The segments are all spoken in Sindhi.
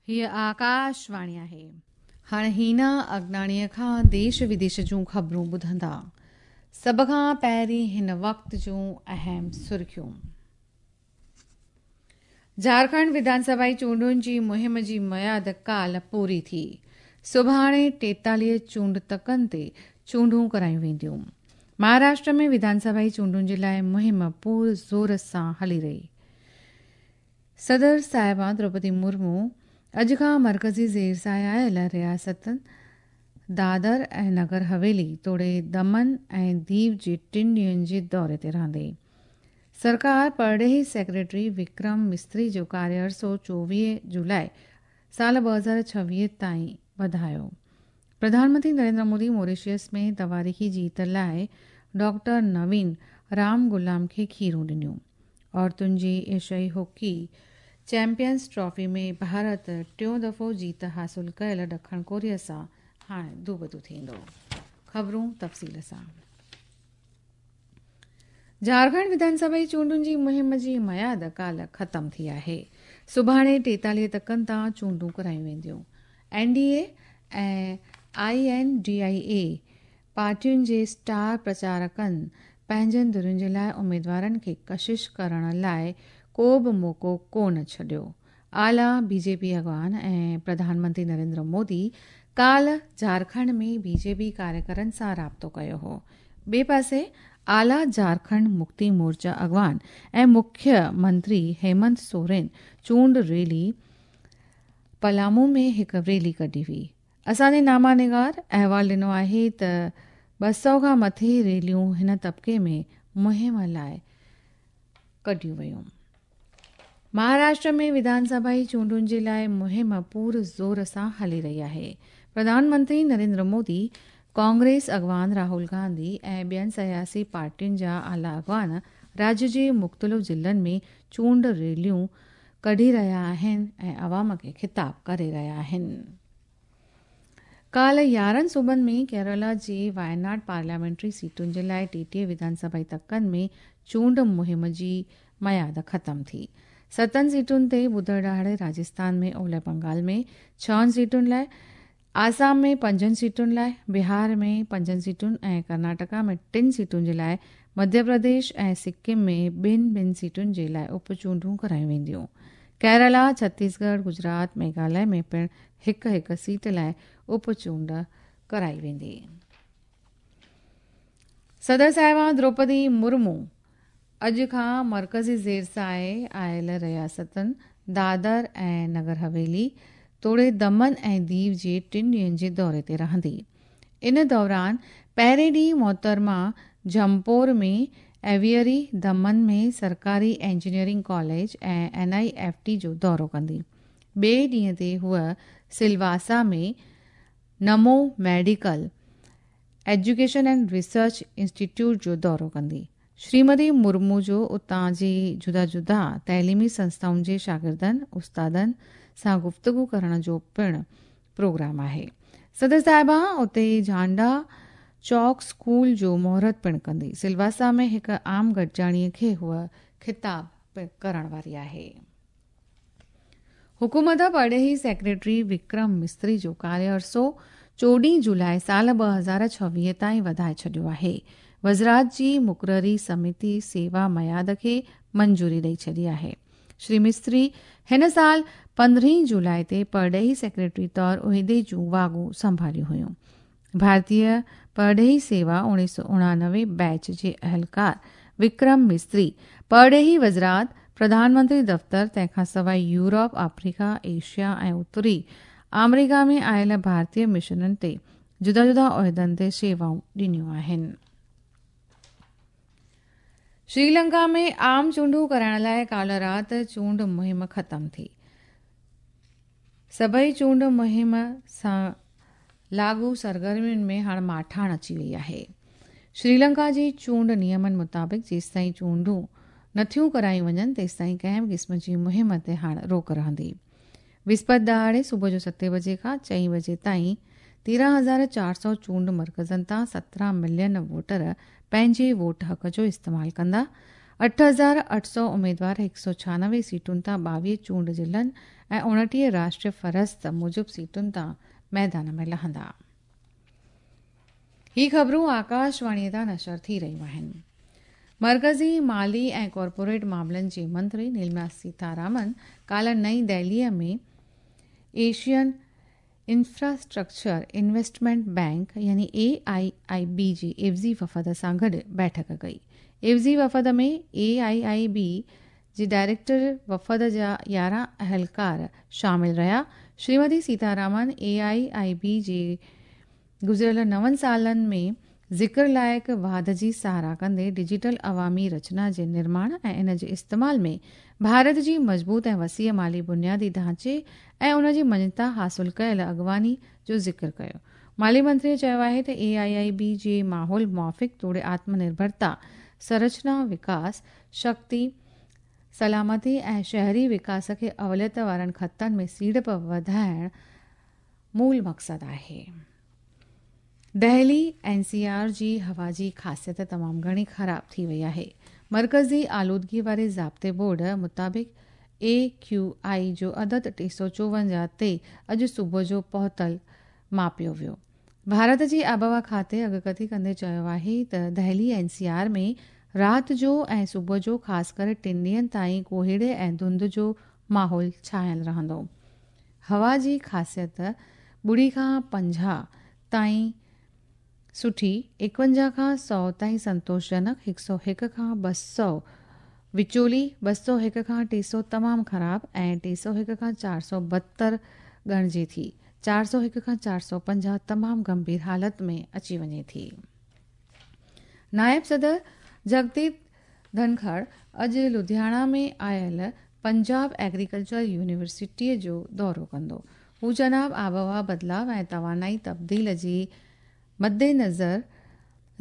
هيء آڪاشواڻي آهي. هاڻ هينا اگناڻيء کان ديش وديش جون خبرون ٻڌندا. سڀ کان پهرين هن وقت جون اهم سرخيون. جهارکنڊ وڌانسڀائي چونڊن جي مهم جي ميعاد ڪالهه پوري ٿي. سڀاڻي 43 چونڊ تڪن تي چونڊون ڪرايون وينديون. مهاراشٽر ۾ وڌانسڀائي چونڊن جي لاء مهم پور زور سان هلي رهي. صدر صاحبه دروپدي مرمو اڄ کان مرڪزي زير سايه آيل رياستن دادر ۽ نگر حويلي توڙي دمن ۽ ديو جي ٽن ڏينهن جي دوري تي رهندي. سرڪار پرڏيهي سيڪريٽري وڪرم مستري جو ڪاريه عرصو 24 جولاء سال 2026 تائين وڌايو. پرڌان منتري نريندر مودي موريشس ۾ تواريخي جيت لاء ڊاڪٽر نوين رام غلام کي کيرون ڏنيون. عورتن جي ايشيائي هاڪي چيمپيئنز ٽرافي ۾ ڀارت ٽيون دفعو جيت حاصل ڪيل ڏکڻ ڪوريا سان هاڻ دوبدو ٿيندو. خبرون تفصيل سان. جهارکنڊ وڌانسڀائي چونڊن جي مهم جي ميعاد ڪالهه ختم ٿي آهي. سڀاڻي 43 تڪن تان چونڊون ڪرايون وينديون. N D A ۽ I N D I A پارٽين جي اسٽار پرچارڪن پنهنجن ڌرين جي لاء اميدوارن کي ڪشش ڪرڻ لاء ڪو به موقعو ڪونه ڇڏيو. اعليٰ بي جي پي اڳواڻ ۽ پرڌان منتري نريندر مودي ڪالهه جهارکنڊ ۾ بي جي پي ڪاريڪرن سان رابطو ڪيو هو. ٻئي پاسي اعليٰ جهارکنڊ مڪتي مورچا اڳواڻ ۽ مکيه منتري هيمنت سورين چونڊ ريلي پلامو ۾ هڪ ريلي ڪڍي هئي. اسان جي نامه نگار احوال ڏنو آهي ته 200 کان مٿي ريليون هن طبقي ۾ مهم لاء ڪڍيون ويون. مهاراشٽر ۾ وڌانسڀائي چونڊن جي لاء مهم پور زور سان هلي رهي آهي. پرڌان منتري نريندر مودي، ڪانگريس اڳواڻ راهول گانڌي ۽ ٻين سياسي پارٽين جا اعليٰ اڳواڻ راجيه جي مختلف ضلعن ۾ چونڊ ريليون ڪڍي رهيا آهن ۽ عوام کي خطاب ڪري رهيا آهن. ڪالهه 11 صوبن ۾ ڪيرالا جي وايناڊ پارليامينٽري سيٽن جي لاء 33 وڌانسڀائي تڪن ۾ چونڊ مهم جي ميعاد ختم ٿي. ستن سيٽن تي ٻڌر ڏهاڙي راجسٿان ۾ اولهه بنگال ۾ ڇهن سيٽن لاء، آسام ۾ پنجن سيٽن لاء، بهار ۾ پنجن سيٽن ۽ ڪرناٽڪا ۾ ٽن سيٽن جي لاء مڌيه پرديش ۽ سڪم ۾ ٻن ٻن سيٽن جي لاء اپ چونڊون ڪرايون وينديون. ڪيرالا، ڇتيسڳڙهه، گجرات، ميگهاليه ۾ پڻ هڪ هڪ سيٽ لاء اپ چونڊ ڪرائي ويندي. صدر صاحبه دروپدي مرمو اڄ کان مرڪزي زير سايه آيل رياستن دادر ۽ نگر حويلي توڙي دمن ۽ ديو جي ٽن ڏينهن جي دوري تي رهندي. ان دوران پهرين ڏينهن محترمه جهمپور ۾ ايويئري، دمن ۾ سرڪاري engineering college ۽ N I F T جو دورو ڪندي. ٻئي ڏينهن تي هوء Silvassa ۾ Namo medical education and research institute جو دورو ڪندي. شريمتي مرمو جو اتان جي جدا جدا تعليمي سنسٿائن جي شاگردن، استادن سان گفتگو ڪرڻ جو پڻ پروگرام آهي. صدر صاحبه اتي جهانڊا چوڪ اسڪول جو مهورت پڻ ڪندي. سلواسا ۾ هڪ عام گڏجاڻي کي هوء خطاب پڻ ڪرڻ واري آهي. حڪومت پرڏيهي سيڪريٽري وڪرم مستري جو ڪاريه عرصو 14 جولاء سال 2026 تائين وڌائي ڇڏيو آهي. وزرات جي مقرري سميتي سيوا ميعاد کي منظوري ڏئي ڇڏي آهي. شري مستري هن سال 15 جولاء تي پرڏيهي سيڪريٽري طور عهدي جون واڳون سنڀاليون هيون. ڀارتيه پرڏيهي سيوا 1989 بيچ جي اهلڪار وڪرم مستري پرڏيهي وزرات، پرڌان منتري دفتر، تنهن کان سواء يورپ، آفريڪا، ايشيا ۽ اتري آمريڪا ۾ آيل ڀارتيه مشنن تي جدا جدا عهدن تي شيوائون ڏنيون آهن. شريلنڪا ۾ عام چونڊون ڪرائڻ لاء ڪالهه رات چونڊ مهم ختم ٿي. سڀئي چونڊ مهم سان لاڳو سرگرمين ۾ هاڻ ماٺاڻ اچي وئي آهي. شريلنڪا جي چونڊ نيمن مطابق جيستائين چونڊون نٿيون ڪرايون وڃن تيستائين ڪنهن به قسم جي مهم تي هاڻ روڪ رهندي. وسپت ڏهاڙي صبح جو ستين بجي کان چئين بجي تائين 13,400 چونڊ مرڪزن تان 17 ملين ووٽر پنهنجي ووٽ حق جو استعمال ڪندا. 8800 اميدوار 196 سيٽن تان 22 چونڊ ضلعن ۽ 29 راشٽريه فهرست موجب سيٽن تان ميدان ۾ لهندا. هي خبرون آڪاشواڻيء تان نشر ٿي رهيون آهن. مرڪزي مالي ۽ ڪارپوريٽ معاملن جي منتري نرملا سيتارامن ڪالهه نئين دهليء ۾ ايشين انفراسٽرڪچر انويسٽمينٽ بئنڪ يعني اي آء آء بي جي عيوضي وفد سان گڏ بيٺڪ ڪئي. عيوضي وفد ۾ اي آء آء بي جي ڊائريڪٽر وفد جا 11 اهلڪار شامل رهيا. شريمتي سيتارامن اي آء آء بي جي گذريل نون سالن ۾ ذڪر لائق واڌ جي ساراهه ڪندي ڊجيٽل عوامي رچنا جي نرماڻ ۽ ان جي استعمال ۾ ڀارت جي مضبوط ۽ وسيع مالي بنيادي ڍانچي ۽ ان جي مڃتا حاصل ڪيل اڳواڻي جو ذڪر ڪيو. مالي منتري چيو آهي ته اي آء آء بي جي ماحول موافق توڙي آتم نرڀرتا، سرچنا وڪاس، شڪتي، سلامتي ۽ شهري وڪاس کي اوليت وارن خطن ۾ سيڙپ وڌائڻ مول مقصد آهي. دهلي اين سي آر جي هوا جي خاصيت تمام گهڻي خراب ٿي وئي آهي. مرڪزي آلودگي واري ضابطي بورڊ مطابق اي ڪيو آء جو عدد 354 تي اڄ صبح جو پهتل ماپيو ويو. ڀارت جي آبهوا کاتي اڳڪٿي ڪندي چيو آهي ته دهلي اين سي آر ۾ رات جو ۽ صبح جو خاص ڪري ٽن ڏينهن تائين ڪوهيڙي ۽ ڌنڌ جو ماحول ڇانيل رهندو. هوا جي خاصيت ٻڙي کان 50 تائين سٺي، 51 کان 100 تائين سنتوشجنڪ، 101 کان 200 وچولي، 201 کان 300 تمام خراب ۽ 301 کان 400 بدتر ڳڻجي ٿي. 401 کان 450 تمام گنڀير حالت ۾ اچي وڃي ٿي. نائب صدر جگديپ ڌنکڙ اڄ لڌياڻا ۾ آيل پنجاب ايگريڪلچر يونيورسٽيء جو دورو ڪندو. هو جناب آبهوا بدلاء ۽ توانائي تبديل جي مدنظر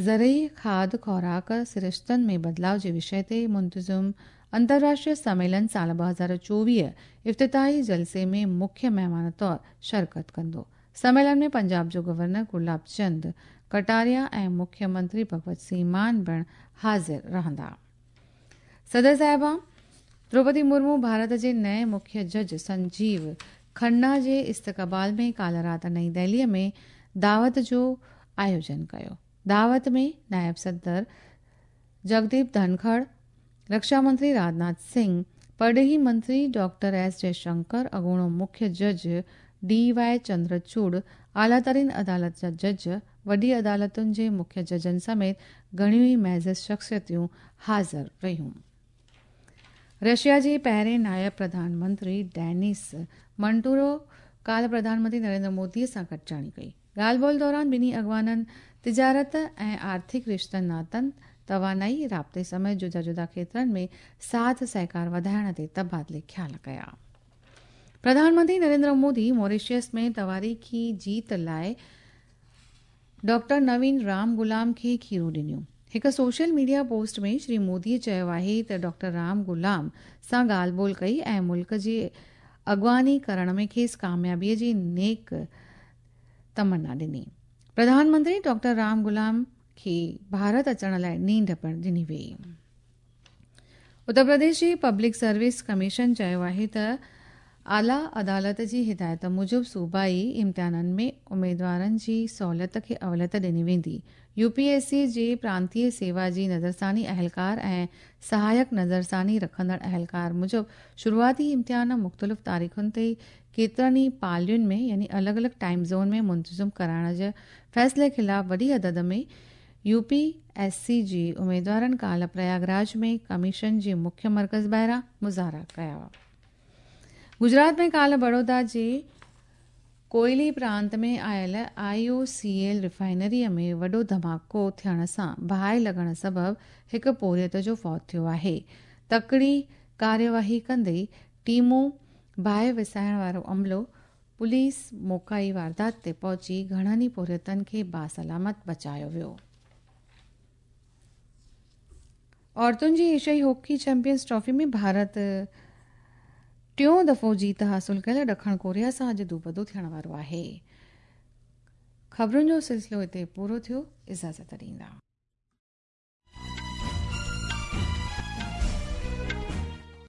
زرعي کاڌ خوراڪ سرشتن ۾ بدلاء جي وشي تي منتظم انترراشٽريه سميلن سال 2024 افتتاحي جلسي ۾ مکيه مهمان طور شرڪت ڪندو. سميلن ۾ پنجاب جو گورنر گلاب چند ڪٽاريا ۽ مکيه منتري ڀڳوت سنگهه مان پڻ حاضر رهندا. صدر صاحبه دروپدي مرمو ڀارت جي نئين مکيه جج سنجيو کنا جي استقبال ۾ ڪالهه رات نئين دهلي ۾ دعوت جو آيوجن ڪيو. دعوت ۾ نائب صدر جگديپ ڌنکڙ، رڪشا منتري راجناٿ سنگهه، پرڏيهي منتري ڊاڪٽر ايس جئشنڪر، اڳوڻو مکيه جج ڊي واء چندرچوڙ، اعليٰ ترين عدالت جا جج، وڏي عدالتن جي مکيه ججن سميت گهڻيون ئي معزز شخصيتون حاضر رهيون. رشيا جي پهرين نائب پرڌان منتري ڊينس منٽورو ڪالهه پرڌان منتري نريندر مودي سان گڏجاڻي ڪئي. ڳالهه ٻولهه دوران ٻنهي اڳواڻن تجارت ۽ آرٿڪ رشتن ناتن، توانائي، رابطي سميت جدا جدا کيترن ۾ ساٿ سهڪار وڌائڻ تي تبادلي خيال ڪيا. پرڌان منتري نريندر مودي موريشس ۾ تواريخي جيت لاء ڊاڪٽر نوين رام غلام کي کيرون ڏنيون. هڪ social media post ۾ Shri Modi چيو آهي ته ڊاڪٽر رام غلام سان ڳالهه ٻولهه ڪئي ۽ ملڪ جي اڳواڻي ڪرڻ ۾ کيس ڪاميابي جي نيڪ تمنا ڏني. پرڌان منتري ڊاڪٽر رام غلام کي ڀارت اچڻ لاء نينڍ پڻ ڏني وئي. اتر پرديش جي پبلڪ سروس ڪميشن چيو آهي ته اعليٰ عدالت جي هدايت موجب صوبائي امتحانن ۾ اميدوارن جي سهولت کي اوليت ڏني ويندي. يو پي ايس سي جي پرانتيه سيوا جي نظرثاني اهلڪار ۽ سهايڪ نظرثاني رکندڙ اهلڪار موجب شروعاتي امتحان مختلف تاريخن تي ڪيترن ئي پالين ۾ يعني الڳ الڳ ٽائيم زون ۾ منتظم ڪرائڻ جي فيصلي خلاف وڏي عدد ۾ يو پي ايس سي جي اميدوارن ڪالهه پرياگ راج ۾ ڪميشن جي مکيه مرڪز ٻاهران مظاهرا ڪيا. گجرات ۾ ڪالهه بڙودا جي ڪوئلي پرانت ۾ آيل آء او سي ايل ريفائنري ۾ وڏو ڌماڪو ٿيڻ سان باهه لڳڻ سبب هڪ پورهيت جو فوت ٿيو آهي. تڪڙي ڪارروائي ڪندي ٽيمون، باهه وسائڻ وارو عملو، پوليس موقعي واردات تي پهچي گهڻن ئي پورهيتن کي باسلامت بچايو ويو. عورتن جي ايشيائي هاڪي چيمپيئنز ٽرافي ۾ ڀارت ٽيون دفعو جيت حاصل ڪيل ڏکڻ ڪوريا سان اڄ دوبدو ٿيڻ وارو آهي. خبرن جو سلسلو هتي پورو ٿيو، اجازت ڏيندا.